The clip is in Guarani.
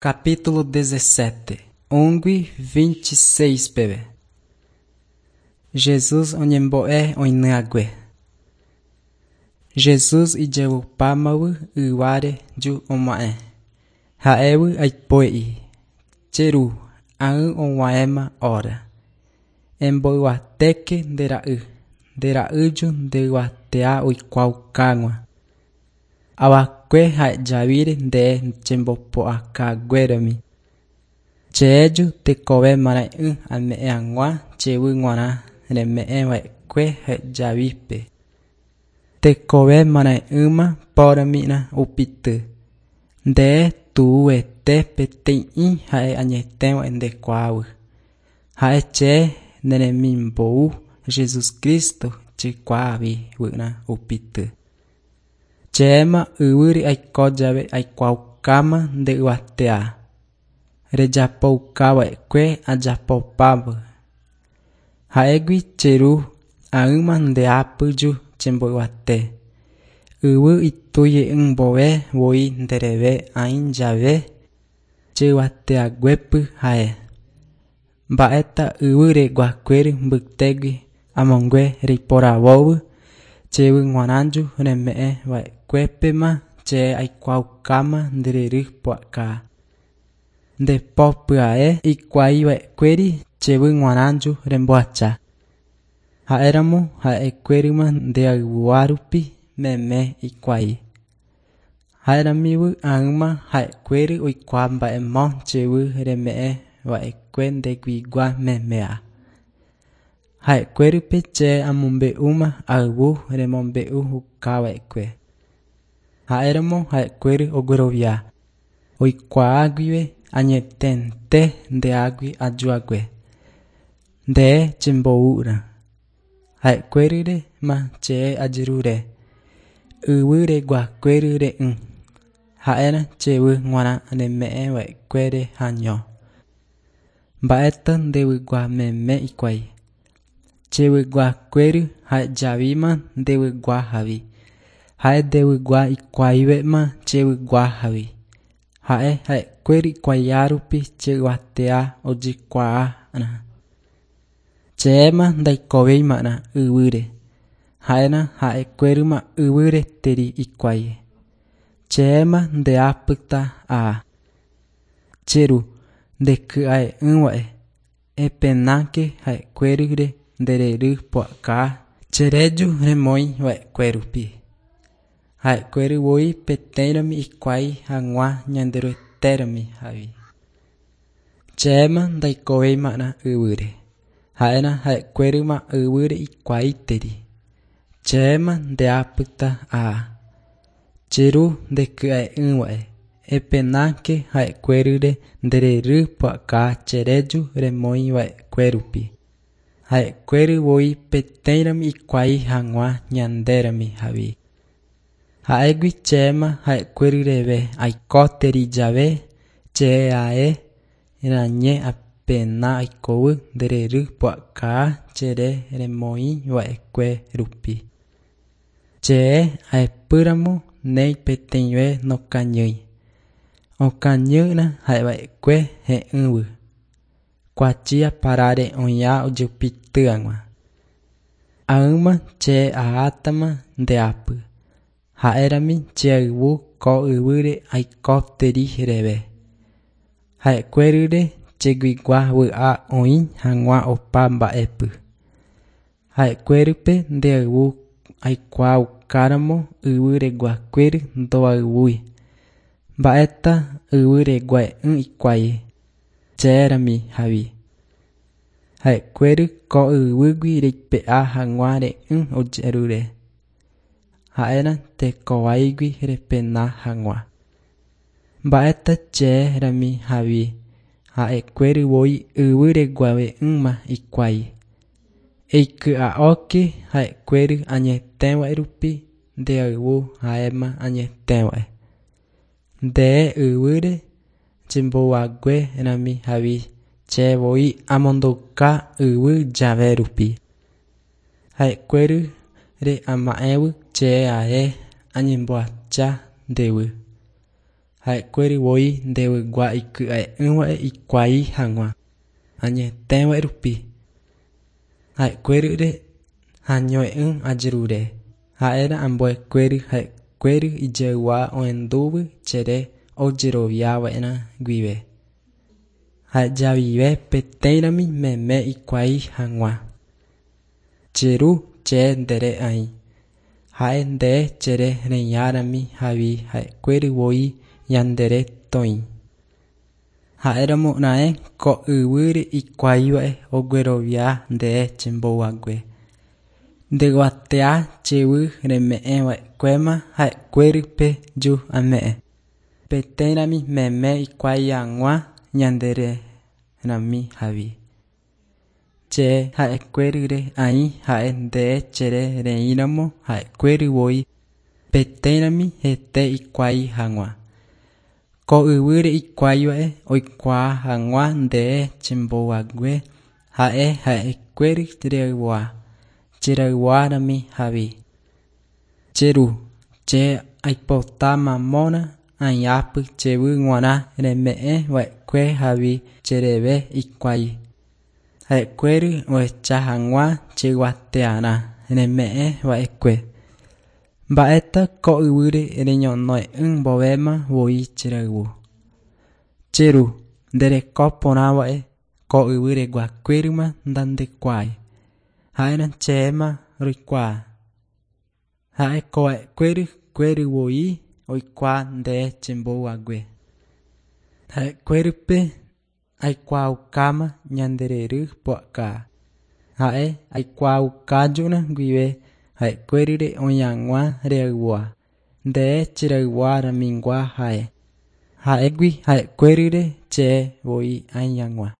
Capítulo 17 Ungui 26 peve Jesús oñembo'e oinyhague. Jesús ijevupámavy yváre ju oma'ẽ. Ha'évy aipo'i. Che ru, ág̃a og̃uahẽma hora. Emboyvatéke nde ra'y, nde ra'ýju nde yvateha oikuaaukág̃ua. Avakue ha'ejavíre nde chembopu'akaguérami. Cheju tekove marãe'ỹ ame'ẽ hag̃ua chéve g̃uarã reme'ẽva'ekue ha'ejavípe. Tekove marãe'ỹma porãmína upíty. Nde tu'uete peteĩ ha'e añetéva ndekuaáva. Ha'e che neremimbou Jesucristo chekuaavi vy'arã upíty. Chéma yvýre aiko jave aikuaaukáma nde yvateha. Rejapoukava'ekue ajapopáva. Ha'égui che ru ág̃ama nde'ápyju chemboyvate. Yvy ituije'ỹmbove voi ndereve aĩ jave cheyvatehaguépy ha'e. Mba'éta yvyraguakuéra mbytégui amongu'e reiporavóvy chéve g̃uarãju reme'ẽva'ekuépema che aikuaaukáma nde ryry pu'aka. Nde po pya'e ikuaiva'ekuéri chéve g̃uarãju remboacha. Ha'éramo ha'ekuérama ndeayvuha rupi meme hikuái. Ha'eramívy ág̃ama ha'ekuéra oikuaa mba'émo chéve reme'ẽva'ekue ndeguigua memeha. Ha'ekuérape che amombe'úma ayvu remombe'ukava'ekue. Ha'éramo ha'ekuéra oguerovia, oikuaa guive añeténte nde'águi ajuhague. Nde chemboúrã. Ha'ekuérarema che ajerure. Yvyraguakuérare'ỹ. Ha'érã chéve g̃uarã reme'ẽva'ekuére año. Mba'éta ndeguigua meme hikuái. Chevyguakuéra ha'ejavíma ndevyguahágui. Ha'e ndeguigua ikuaavéma chevyguahágui. Ha'e ha'ekuéra ikuaarupi che yvateha ojekuaa'arã. Chéma ndaikovéima'erã yvýre. Ha'érã ha'ekuérama yvýreteri hikuái. Chéma nde'ápyta aha. Che ru, ndeky'a'ỹva'e. Epenáke ha'ekuérare nde ryry pu'aka chereju remoĩva'ekue rupi. Ha'ekuéra voi peteĩrami hikuái hag̃ua Ñanderuetérami avei. Chéma ndaikovéima'erã yvýre. Ha'érã ha'ekuérama yvýre hikuáiteri. Chéma nde'ápyta aha. Che ru ndeky'a'ỹva'e. Epenáke ha'ekuérare nde ryry pu'aka chereju remoĩva'ekue rupi. Ha'ekuéra voi peteĩrami hikuái hag̃ua ñandérami avei. Ha'égui chéma ha'ekuérareve aikóteri jave che ae rañe apena aikóvy nde ryry pu'aka chere remoĩva'ekue rupi. Che ahepýramo néi peteĩve nokañýi. Okañýrã ha'eva'ekue he'ỹvy. Kuachia paráre oĩha ojupyty hag̃ua. Ág̃ama che ahátama nde'ápy. Ha'érami che ayvu ko yvýre aikóteri reve. Ha'ekuérare cheguigua vy'a oĩ hag̃ua opa mba'épy. Ha'ekuérape nde ayvu aikuaaukáramo yvyraguakuéra ndoayvúi. Mba'éta yvyragua'ỹ hikuái. Chérami avei. Ha'ekuéra ko yvýgui reipe'a hag̃ua re'ỹ ojerure. Ha'érã tekovaígui repena hag̃ua. Mba'éta chérami avei ha'ekuéra voi yvyraguave'ỹma hikuái. Eiky'a'óke ha'ekuéra añetéva rupi nde ayvu ha'éma añetéva. Nde yvýre chembouhaguérami avei che voi amondouka yvy jave rupi. Ha'ekuérare ama'ẽvy che ae añemboacha ndéve. Ha'ekuéry voi ndevygua iky'a'ỹva'e ikuái hag̃ua añetéva rupi. Ha'ekuérýre hañoe'ỹ ajerure. Ha'éra ambuekuéry ha'ekuéry ijeygua ohendúvy chere ojeroviava'erã guive. Ha'ejavive peteĩrami meme ikuái hag̃ua. Che ru che ndere aĩ. Ha'e nde chere reĩarami havi ha'ekuéry voi ñandere toĩ. Ha'éramo raẽ ko yvýre ikuaiva'e oguerovia nde chembouhague. Ndeguatea chevy reme'ẽva'ekuéma ha'ekuérype ju ame'ẽ. Peteĩrami meme ikuái hag̃ua ñandererami havi. Che ha'ekuérýre aĩ ha'e nde chere reĩramo ha'ekuéry voi peteĩrami hete ikuái hag̃ua. Ko yvýre ikuaiva'e oikuaa hag̃ua nde chembouhague ha'e ha'ekuéry reygua cherayhuárami havi. Che ru, che aipota mamóna aĩápy chevy g̃uarã reme'ẽva'ekue havi chereve ikuái. Ha'ekuéry ohecha hag̃ua cheguatearã reme'ẽva'ekue. Mba'éta ko yvýre reñonoe'ỹ mboyvéma voi cherayhu. Che ru, ndereko porãva'e ko yvýreguakuérýma ndandekuaái. Ha'érã chéma roikuaa. Ha'eko'ẽkuéry kuéry voi oikuaa nde chembouhague. Ha'ekuérype aikuaaukáma ñanderery pu'aka. Ha'e aikuaaukajúna guive ha'ekuérýre oĩ hag̃ua reyvua. Nde cherayhuaramigua ha'e. Ha'égui ha'ekuérýre che voi aĩ hag̃ua.